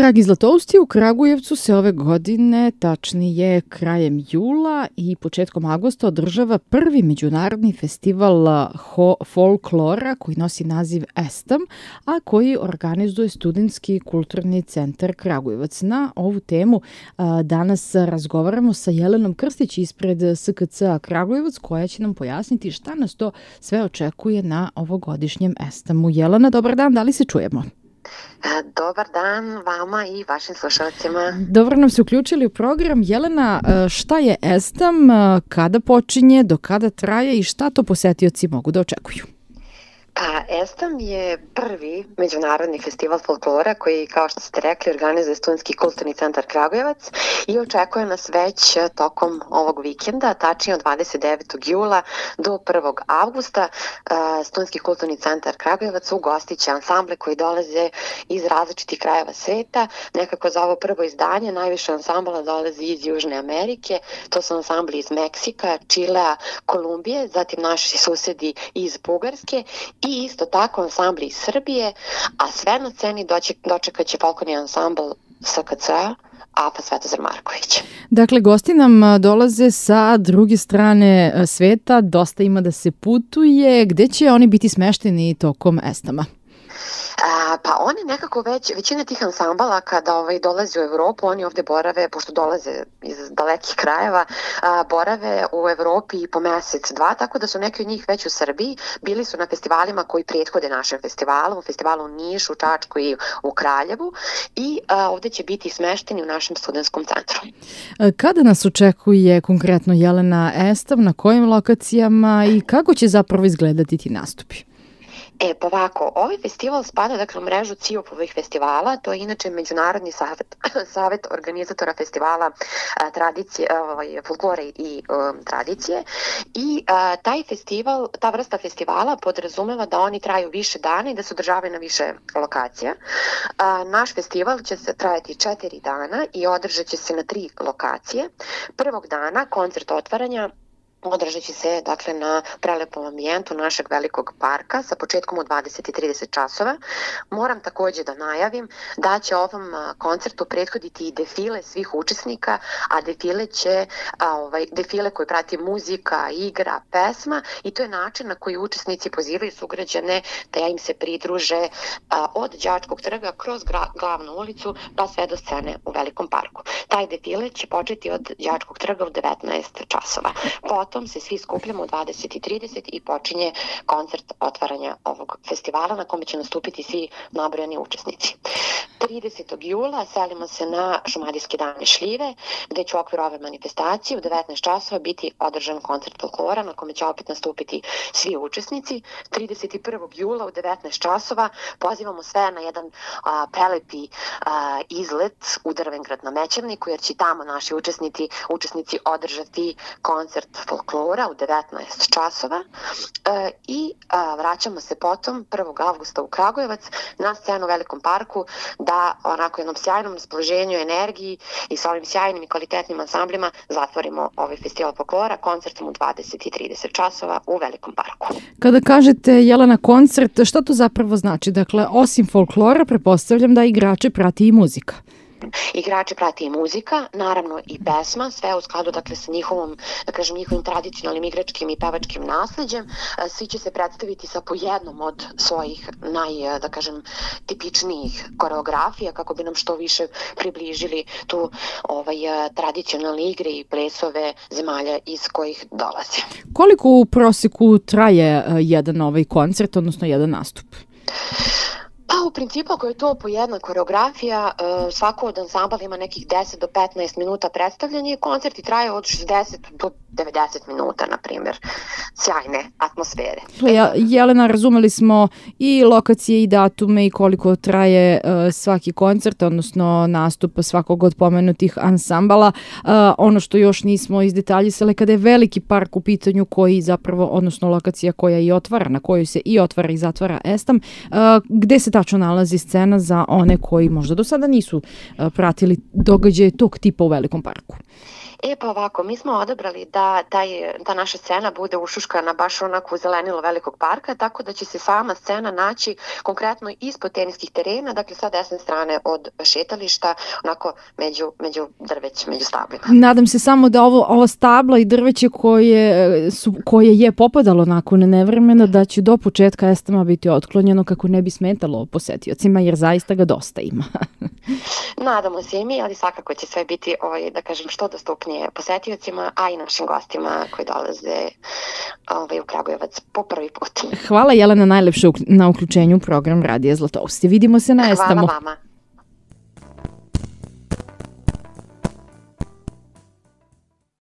Dragi Zlatousti, u Kragujevcu se ove godine, tačnije krajem jula i početkom avgusta, održava prvi međunarodni festival folklora koji nosi naziv ESTAM, a koji organizuje Studentski kulturni centar Kragujevac. Na ovu temu danas razgovaramo sa Jelenom Krstić ispred SKC-a Kragujevac, koja će nam pojasniti šta nas to sve očekuje na ovogodišnjem ESTAM-u. Jelena, dobar dan, da li se čujemo? Dobar dan vama i vašim slušalcima. Dobro nam se uključili u program. Jelena, šta je ESTAM, kada počinje, do kada traje i šta to posetioci mogu da očekuju? Pa, ESTAM je prvi međunarodni festival folklora koji, kao što ste rekli, organizuje Studentski kulturni centar Kragujevac i očekuje nas već tokom ovog vikenda, tačnije od 29. jula do 1. avgusta. Studentski kulturni centar Kragujevac ugostit će ansamble koji dolaze iz različitih krajeva sveta. Nekako za ovo prvo izdanje najviše ansambala dolazi iz Južne Amerike, to su ansambli iz Meksika, Čilea, Kolumbije, zatim naši susedi iz Bugarske i isto tako ansambli iz Srbije, a sve na sceni dočekat će folklorni ansambl SKC-a APA Svetozar Marković. Dakle, gosti nam dolaze sa druge strane sveta, dosta ima da se putuje. Gde će oni biti smešteni tokom ESTAM-a? Pa oni nekako većina tih ansambala kada dolaze u Evropu, oni ovde borave, pošto dolaze iz dalekih krajeva, borave u Evropi po mesec, dva, tako da su neki od njih već u Srbiji, bili su na festivalima koji prethode našem festivalu, u festivalu u Nišu, Čačku i u Kraljevu i ovde će biti smešteni u našem studentskom centru. Kada nas očekuje konkretno, Jelena, ESTAM, na kojim lokacijama i kako će zapravo izgledati ti nastupi? Pa ovako, ovaj festival spada u mrežu CIOP-ovih festivala, to je inače Međunarodni savet organizatora festivala tradicije, folklore i tradicije i taj festival, ta vrsta festivala podrazumeva da oni traju više dana i da se održavaju na više lokacija. Naš festival će se trajati 4 dana i održat će se na 3 lokacije. Prvog dana koncert otvaranja održat će se na prelepom ambijentu našeg velikog parka sa početkom u 20:30 časova. Moram takođe da najavim da će ovom koncertu prethoditi i defile svih učesnika, a defile koje prati muzika, igra, pesma i to je način na koji učesnici pozivaju sugrađane da im se pridruže od Đačkog trga kroz glavnu ulicu pa sve do scene u velikom parku. Taj defile će početi od Đačkog trga u 19 časova. Potom se svi skupljamo u 20:30 i počinje koncert otvaranja ovog festivala na kome će nastupiti svi nabrojani učesnici. 30. jula selimo se na Šumadijske dane šljive, gde će u okviru ove manifestacije u 19 časova biti održan koncert folklora na kome će opet nastupiti svi učesnici. 31. jula u 19 časova pozivamo sve na jedan prelepi izlet u Drvengrad na Mećavniku, jer će tamo naši učesnici održati koncert folklora u 19 časova i vraćamo se potom 1. avgusta u Kragujevac na scenu u Velikom parku da onako jednom sjajnom raspoloženju, energiji i sa ovim sjajnim i kvalitetnim ansamblima zatvorimo ovaj festival folklora koncertom u 20:30 časova u Velikom parku. Kada kažete, Jelena, koncert, šta to zapravo znači? Dakle, osim folklora, pretpostavljam da igrače prati i muzika. Igrače prati i muzika, naravno i pesma, sve u skladu sa njihovim tradicionalnim igračkim i pevačkim nasleđem. Svi će se predstaviti sa po jednom od svojih tipičnijih koreografija kako bi nam što više približili tu tradicionalne igre i plesove zemalja iz kojih dolaze. Koliko u proseku traje jedan koncert, odnosno jedan nastup? Pa u principu ako je to po jedna koreografija, svako od ansambala ima nekih 10 do 15 minuta predstavljanja i koncerti traju od 60 do 90 minuta, na primjer. Sjajne atmosfere. Jelena, razumeli smo i lokacije i datume i koliko traje svaki koncert, odnosno nastup svakog od pomenutih ansambala. Ono što još nismo izdetaljisali, kada je veliki park u pitanju koji zapravo, odnosno lokacija koja i otvara, na kojoj se i otvara i zatvara ESTAM, gde se tačno nalazi scena za one koji možda do sada nisu pratili događaje tog tipa u velikom parku? Pa ovako, mi smo odabrali da ta naša scena bude ušuškana baš onako u zelenilo velikog parka, tako da će se sama scena naći konkretno ispod teniskih terena, dakle sa desne strane od šetališta, onako među drveć, među stablima. Nadam se samo da ovo stabla i drveće koje je popadalo nakon nevremena, da će do početka estema biti otklonjeno kako ne bi smetalo posetiocima, jer zaista ga dosta ima. Nadamo se i mi, ali svakako će sve biti, da kažem, što dostupnije posetiocima, a i našim gostima koji dolaze u Kragujevac po prvi put. Hvala Jelena najlepše na uključenju u program Radija Zlatousti. Vidimo se na Estamu. Hvala vama.